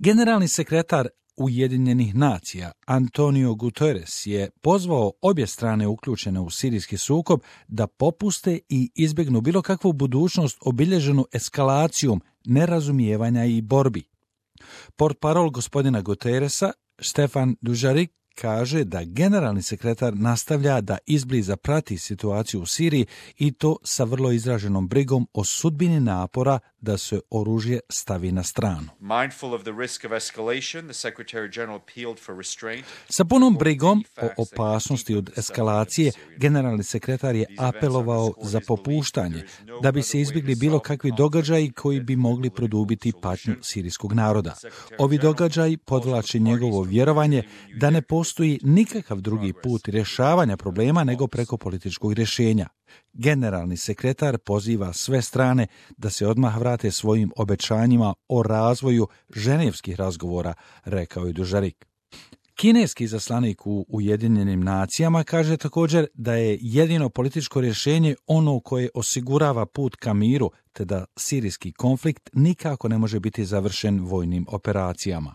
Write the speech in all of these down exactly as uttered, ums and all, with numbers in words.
Generalni sekretar Ujedinjenih nacija Antonio Guterres je pozvao obje strane uključene u sirijski sukob da popuste i izbjegnu bilo kakvu budućnost obilježenu eskalacijom nerazumijevanja i borbi. Portparol gospodina Guterresa, Stefan Dujarric, kaže da generalni sekretar nastavlja da izbliza prati situaciju u Siriji i to sa vrlo izraženom brigom o sudbini napora da se oružje stavi na stranu. Sa punom brigom o opasnosti od eskalacije, generalni sekretar je apelovao za popuštanje, da bi se izbjegli bilo kakvi događaji koji bi mogli produbiti patnju sirijskog naroda. Ovi događaji podvlače njegovo vjerovanje da ne postoji nikakav drugi put rješavanja problema nego preko političkog rješenja. Generalni sekretar poziva sve strane da se odmah vrate svojim obećanjima o razvoju ženevskih razgovora, rekao je Dujarric. Kineski izaslanik u Ujedinjenim nacijama kaže također da je jedino političko rješenje ono koje osigurava put ka miru, te da sirijski konflikt nikako ne može biti završen vojnim operacijama.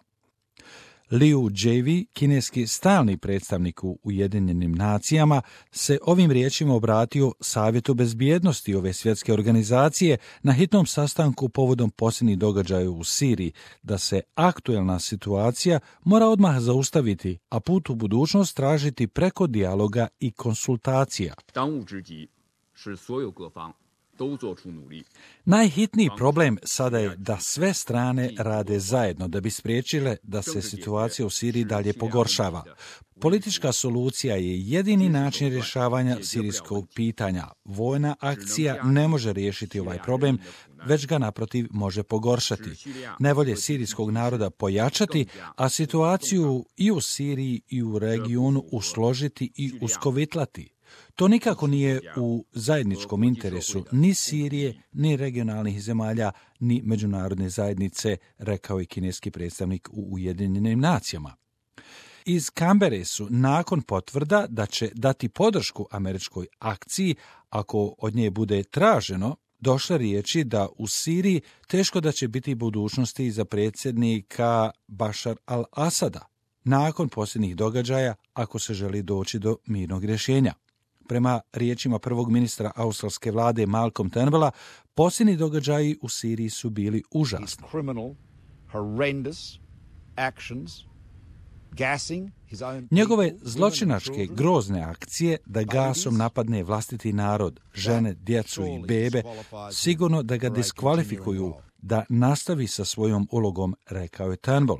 Liu Jievi, kineski stalni predstavnik u Ujedinjenim nacijama, se ovim riječima obratio Savjetu bezbjednosti ove svjetske organizacije na hitnom sastanku povodom posljednjih događaja u Siriji, da se aktuelna situacija mora odmah zaustaviti, a put u budućnost tražiti preko dijaloga i konsultacija. Najhitniji problem sada je da sve strane rade zajedno da bi spriječile da se situacija u Siriji dalje pogoršava. Politička solucija je jedini način rješavanja sirijskog pitanja. Vojna akcija ne može riješiti ovaj problem, već ga naprotiv može pogoršati. Nevolje sirijskog naroda pojačati, a situaciju i u Siriji i u regionu usložiti i uskovitlati. To nikako nije u zajedničkom interesu ni Sirije, ni regionalnih zemalja, ni međunarodne zajednice, rekao je kineski predstavnik u Ujedinjenim nacijama. Iz Kambere su nakon potvrda da će dati podršku američkoj akciji, ako od nje bude traženo, došle riječi da u Siriji teško da će biti budućnosti za predsjednika Bašar al-Asada, nakon posljednjih događaja, ako se želi doći do mirnog rješenja. Prema riječima prvog ministra australske vlade Malcolm Turnbulla, posljednji događaji u Siriji su bili užasni. Njegove zločinačke grozne akcije da gasom napadne vlastiti narod, žene, djecu i bebe, sigurno da ga diskvalifikuju da nastavi sa svojom ulogom, rekao je Turnbull,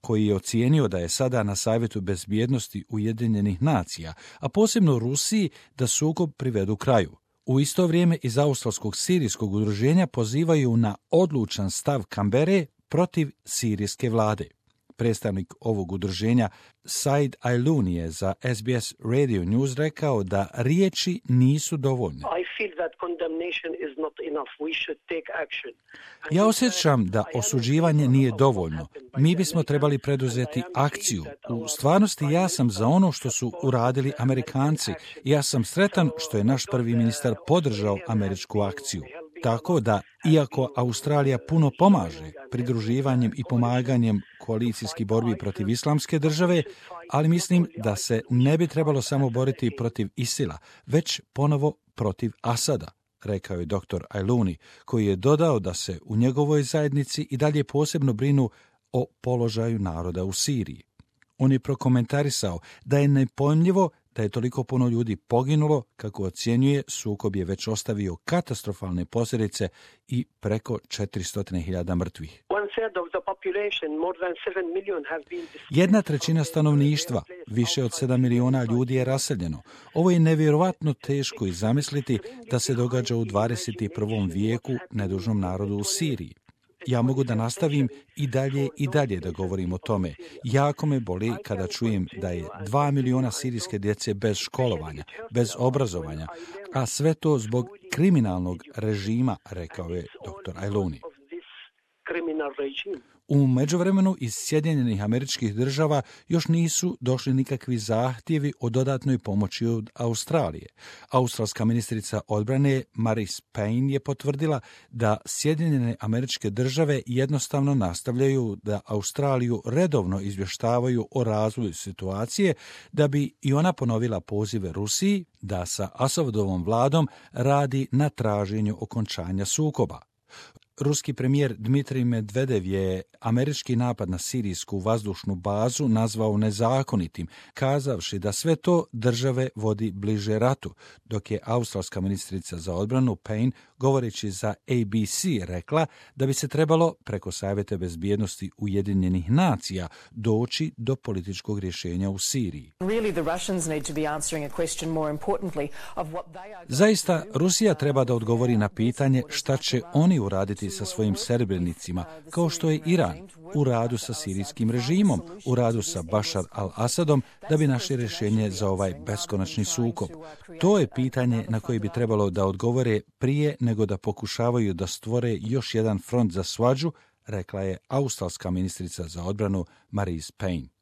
koji je ocijenio da je sada na Savjetu bezbjednosti Ujedinjenih nacija, a posebno Rusiji, da sukob privedu kraju. U isto vrijeme iz australskog sirijskog udruženja pozivaju na odlučan stav Kambere protiv sirijske vlade. Predstavnik ovog udruženja Said Ayloun je za S B S Radio News rekao da riječi nisu dovoljne. Ja osjećam da osuđivanje nije dovoljno. Mi bismo trebali preduzeti akciju. U stvarnosti ja sam za ono što su uradili Amerikanci. Ja sam sretan što je naš prvi ministar podržao američku akciju. Tako da, iako Australija puno pomaže pridruživanjem i pomaganjem koalicijskih borbi protiv islamske države, ali mislim da se ne bi trebalo samo boriti protiv Isila, već ponovo protiv Asada, rekao je doktor Ayloun, koji je dodao da se u njegovoj zajednici i dalje posebno brinu o položaju naroda u Siriji. On je prokomentarisao da je nepojmljivo da je toliko puno ljudi poginulo, kako ocjenjuje, sukob je već ostavio katastrofalne posljedice i preko četiristo hiljada mrtvih. Jedna trećina stanovništva, više od sedam miliona ljudi je raseljeno. Ovo je nevjerovatno teško i zamisliti da se događa u dvadeset prvom vijeku nedužnom narodu u Siriji. Ja mogu da nastavim i dalje i dalje da govorim o tome. Jako me boli kada čujem da je dva miliona sirijske djece bez školovanja, bez obrazovanja, a sve to zbog kriminalnog režima, rekao je doktor Ayloun. U međuvremenu iz Sjedinjenih Američkih Država još nisu došli nikakvi zahtjevi o dodatnoj pomoći od Australije. Australska ministrica odbrane Marise Payne je potvrdila da Sjedinjene Američke Države jednostavno nastavljaju da Australiju redovno izvještavaju o razvoju situacije, da bi i ona ponovila pozive Rusiji da sa Asadovom vladom radi na traženju okončanja sukoba. Ruski premijer Dmitrij Medvedev je američki napad na sirijsku vazdušnu bazu nazvao nezakonitim, kazavši da sve to države vodi bliže ratu, dok je australska ministrica za odbranu Payne, govoreći za A B C, rekla da bi se trebalo preko Savjeta bezbjednosti Ujedinjenih nacija doći do političkog rješenja u Siriji. Zaista, Rusija treba da odgovori na pitanje šta će oni uraditi sa svojim serbrenicima, kao što je Iran, u radu sa sirijskim režimom, u radu sa Bašar al-Asadom, da bi našli rješenje za ovaj beskonačni sukob. To je pitanje na koje bi trebalo da odgovore prije nego da pokušavaju da stvore još jedan front za svađu, rekla je australska ministrica za odbranu Marise Payne.